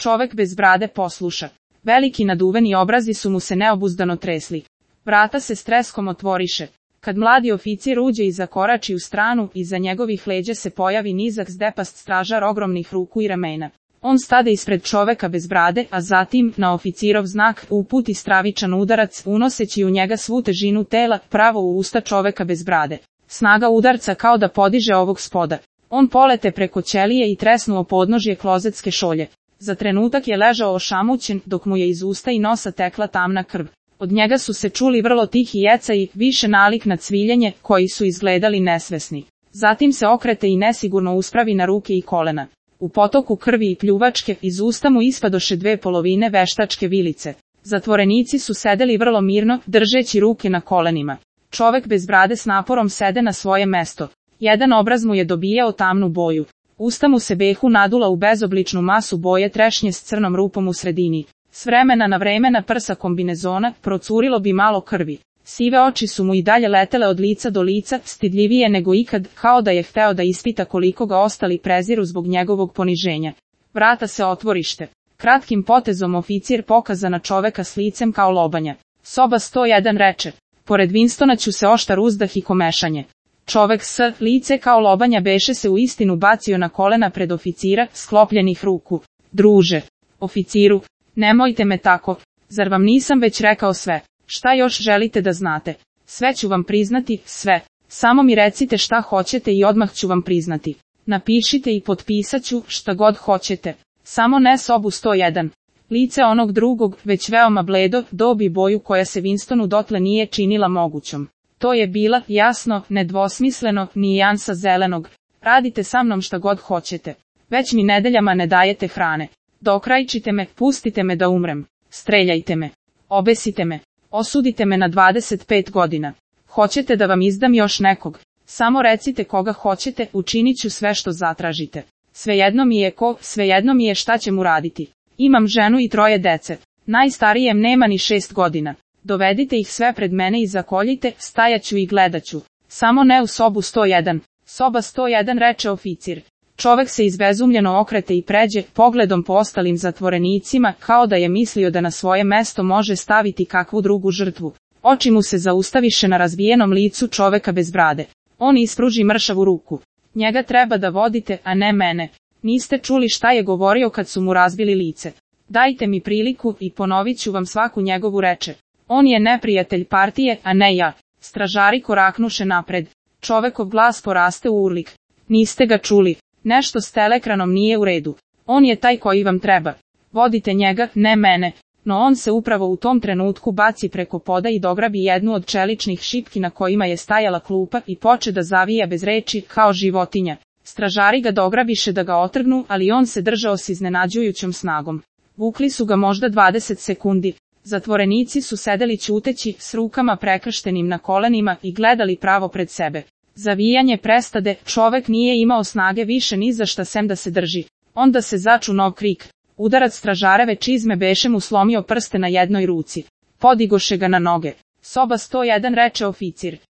Čovek bez brade posluša. Veliki naduveni obrazi su mu se neobuzdano tresli. Vrata se s treskom otvoriše. Kad mladi oficir uđe i zakorači u stranu, iza njegovih leđa se pojavi nizak zdepast stražar ogromnih ruku i ramena. On stade ispred čoveka bez brade, a zatim, na oficirov znak, uputi stravičan udarac, unoseći u njega svu težinu tela, pravo u usta čoveka bez brade. Snaga udarca kao da podiže ovog spoda. On polete preko ćelije i tresnuo podnožje klozetske šolje. Za trenutak je ležao ošamućen, dok mu je iz usta i nosa tekla tamna krv. Od njega su se čuli vrlo tihi jecaji, više nalik na cviljenje, koji su izgledali nesvesni. Zatim se okrete i nesigurno uspravi na ruke i kolena. U potoku krvi i pljuvačke, iz usta mu ispadoše 2/2 veštačke vilice. Zatvorenici su sedeli vrlo mirno, držeći ruke na kolenima. Čovek bez brade s naporom sede na svoje mesto. Jedan obraz mu je dobijao tamnu boju. Usta mu se behu nadula u bezobličnu masu boje trešnje s crnom rupom u sredini. S vremena na vreme na prsa kombinezona procurilo bi malo krvi. Sive oči su mu i dalje letele od lica do lica, stidljivije nego ikad, kao da je hteo da ispita koliko ga ostali preziru zbog njegovog poniženja. Vrata se otvorište. Kratkim potezom oficir pokaza na čoveka s licem kao lobanja. Soba 101 reče. Pored Winstona ću se oštar uzdah i komešanje. Čovek s lice kao lobanja beše se u istinu bacio na kolena pred oficira, sklopljenih ruku. Druže. Oficiru. Nemojte me tako. Zar vam nisam već rekao sve? Šta još želite da znate? Sve ću vam priznati, sve. Samo mi recite šta hoćete i odmah ću vam priznati. Napišite i potpisat ću šta god hoćete. Samo ne sobu 101. Lice onog drugog, već veoma bledo, dobi boju koja se Winstonu dotle nije činila mogućom. To je bila, jasno, nedvosmisleno, nijansa zelenog. Radite sa mnom šta god hoćete. Već mi nedeljama ne dajete hrane. Dokrajčite me, pustite me da umrem. Streljajte me. Obesite me. Osudite me na 25 godina. Hoćete da vam izdam još nekog? Samo recite koga hoćete, učinit ću sve što zatražite. Svejedno mi je ko, svejedno mi je šta će mu raditi. Imam ženu i 3 dece. Najstarijem nema ni 6 godina. Dovedite ih sve pred mene i zakoljite, stajaću i gledaću. Samo ne u sobu 101. Soba 101 reče oficir. Čovek se izbezumljeno okrete i pređe, pogledom po ostalim zatvorenicima, kao da je mislio da na svoje mesto može staviti kakvu drugu žrtvu. Oči mu se zaustaviše na razbijenom licu čoveka bez brade. On ispruži mršavu ruku. Njega treba da vodite, a ne mene. Niste čuli šta je govorio kad su mu razbili lice. Dajte mi priliku i ponovit ću vam svaku njegovu reče. On je neprijatelj partije, a ne ja. Stražari koraknuše napred. Čovekov glas poraste u urlik. Niste ga čuli. Nešto s telekranom nije u redu. On je taj koji vam treba. Vodite njega, ne mene. No on se upravo u tom trenutku baci preko poda i dograbi jednu od čeličnih šipki na kojima je stajala klupa i poče da zavija bez reči, kao životinja. Stražari ga dograbiše da ga otrgnu, ali on se držao s iznenađujućom snagom. Vukli su ga možda 20 sekundi. Zatvorenici su sedeli ćuteći, s rukama prekrštenim na kolenima i gledali pravo pred sebe. Zavijanje prestade, čovek nije imao snage više ni za šta sem da se drži. Onda se začu nov krik. Udarac stražareve čizme beše mu slomio prste na jednoj ruci. Podigoše ga na noge. Soba 101 reče oficir.